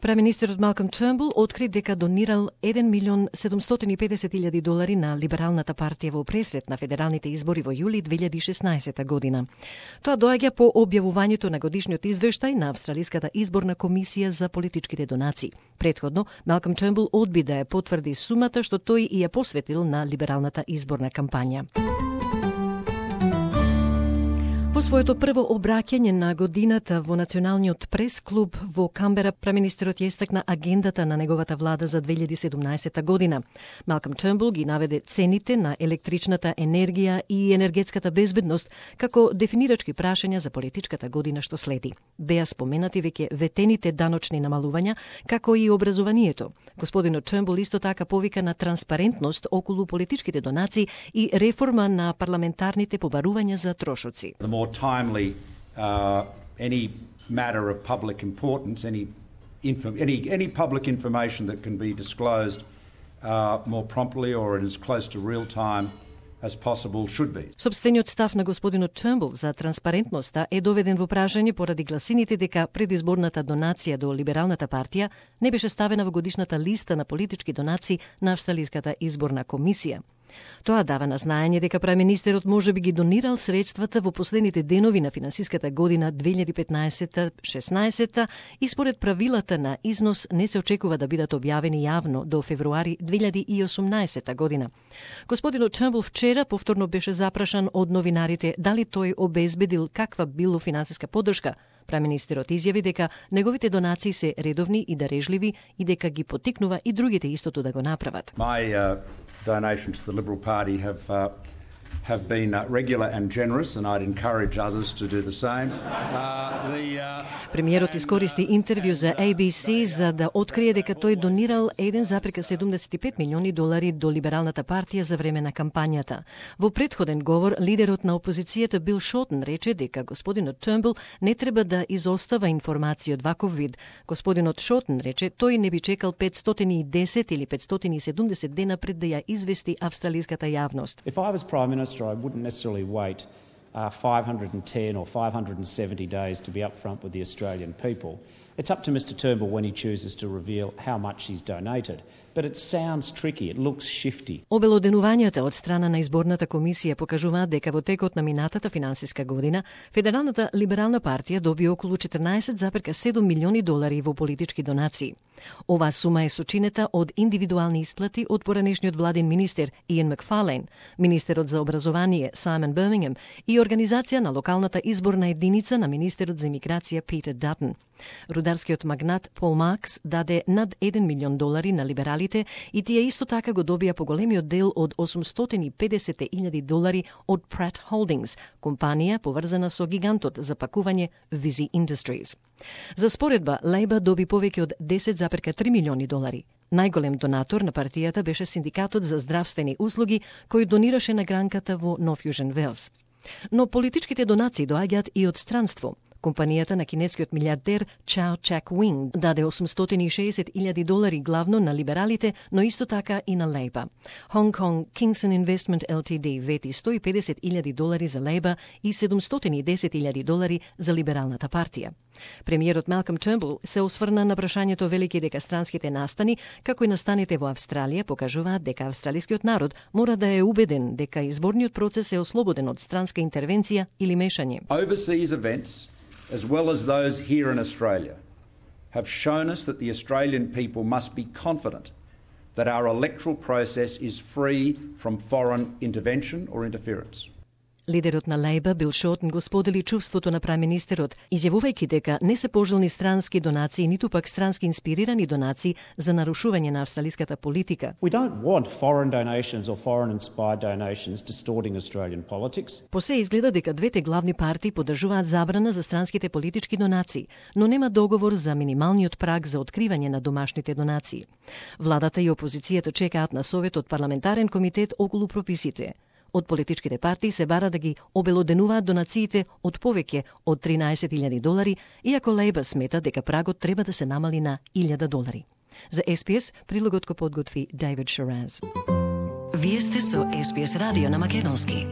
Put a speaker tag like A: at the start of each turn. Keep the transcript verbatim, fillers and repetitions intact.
A: Премиnisтерот Малком Тернбул откри дека донирал еден милион седумстотини и педесет илјади долари на Либералната партија во пресрет на федералните избори во јули две илјади и шеснаесета година. Тоа доаѓа по објавувањето на годишниот извештај на Австралиската изборна комисија за политичките донации. Претходно, Малком Тернбул одби да ја потврди сумата што тој и ја посветил на либералната изборна кампања. Во своето прво обраќање на годината во Националниот прес-клуб во Камбера, премиnisтерот ја истакна агендата на неговата влада за две илјади и седумнаесета година. Малком Тернбул ги наведе цените на електричната енергија и енергетската безбедност како дефинирачки прашања за политичката година што следи. Беа споменати веќе ветените даночни намалувања, како и образованието. Господинот Тернбул исто така повика на транспарентност околу политичките донации и реформа на парламентарните побарувања за трошоци.
B: Timely uh, any matter of public importance, any info, any any public information that can be disclosed uh, more promptly or in as close to real time as possible should be.
A: Собствениот став на господинот Тернбул за транспарентноста е доведен во прашање поради гласините дека предизборната донација до Либералната партија не беше ставена во годишната листа на политички донации на Австралиската изборна комисија. Тоа дава на знаење дека премиnisтерот може би ги донирал средствата во последните денови на финансиската година две илјади и петнаесета шеснаесета и според правилата на износ не се очекува да бидат објавени јавно до февруари две илјади и осумнаесета година. Господинот Тернбул вчера повторно беше запрашан од новинарите дали тој обезбедил каква било финансиска поддршка. Премиnisтерот изјави дека неговите донации се редовни и дарежливи и дека ги поттикнува и другите истото да го направат.
B: My, uh... donations to the Liberal Party have uh, have been uh, regular and generous, and I'd encourage others to do the same. Uh, the, uh,
A: Премиерот искористи интервју за A B C за да открие дека тој донирал еден запирка седумдесет и пет милиони долари до Либералната партија за време на кампањата. Во претходен говор, лидерот на опозицијата Бил Шотен рече дека господинот Тернбул не треба да изостава информација од ваков вид. Господинот Шотен рече тој не би чекал петстотини и десет или петстотини и седумдесет дена пред да ја извести австралиската јавност.
C: If I was Prime Minister, I wouldn't necessarily wait uh, five hundred ten or five hundred seventy days to be upfront with the Australian people. It's up to Mister Turnbull when he chooses to reveal how much he's donated. But it sounds tricky, it looks shifty.
A: Обелоденувањата од страна на изборната комисија покажуваат дека во текот на минатата финансиска година Федералната либерална партија доби околу четрнаесет запирка седум милиони долари во политички донации. Оваа сума е сочинета од индивидуални исплати од поранешниот владин министер Иен Макфарлейн, министерот за образование Саймон Бирмингем и организација на локалната изборна единица на министерот за имиграција Питер Датон. Рударскиот магнат Пол Маркс даде над еден милион долари на либералите и тие исто така го добија поголемиот дел од осумстотини и педесет илјади долари од Pratt Holdings, компанија поврзана со гигантот за пакување Visy Industries. За споредба, Лейба доби повеќе од десет запирка три милиони долари. Најголем донатор на партијата беше Синдикатот за здравствени услуги, кој донираше на гранката во North Fusion Wales. Но политичките донации доаѓаат и од странство. Компанијата на кинескиот милиардер Чао Чак Уинг даде осумстотини и шеесет илјади долари главно на либералите, но исто така и на Лейба. Hong Kong Kingston Investment L T D вети сто и педесет илјади долари за Лейба и седумстотини и десет илјади долари за Либералната партија. Премиерот Малком Тернбул се осврна на прашањето велики дека странските настани, како и настаните во Австралија, покажуваат дека австралискиот народ мора да е убеден дека изборниот процес е ослободен од странска интервенција или мешање.
B: Overseas events, as well as those here in Australia, have shown us that the Australian people must be confident that our electoral process is free from foreign intervention or interference.
A: Лидерот на Лейба Бил Шотен го сподели чувството на премиnisтерот, изјавувајќи дека не се пожелни странски донации, ниту пак странски инспирирани донации за нарушување на австралиската политика.
C: We don't want foreign donations or foreign inspired donations distorting Australian politics.
A: По се изгледа дека двете главни партии поддржуваат забрана за странските политички донации, но нема договор за минималниот праг за откривање на домашните донации. Владата и опозицијата чекаат на совет од парламентарен комитет околу прописите. Од политичките партии се бара да ги обелоденуваат донациите од повеќе од тринаесет илјади долари, иако Лейба смета дека прагот треба да се намали на илјада долари. За С П С прилогот го подготви Дейвид Шараз.
D: Вие сте со С П С радио на македонски.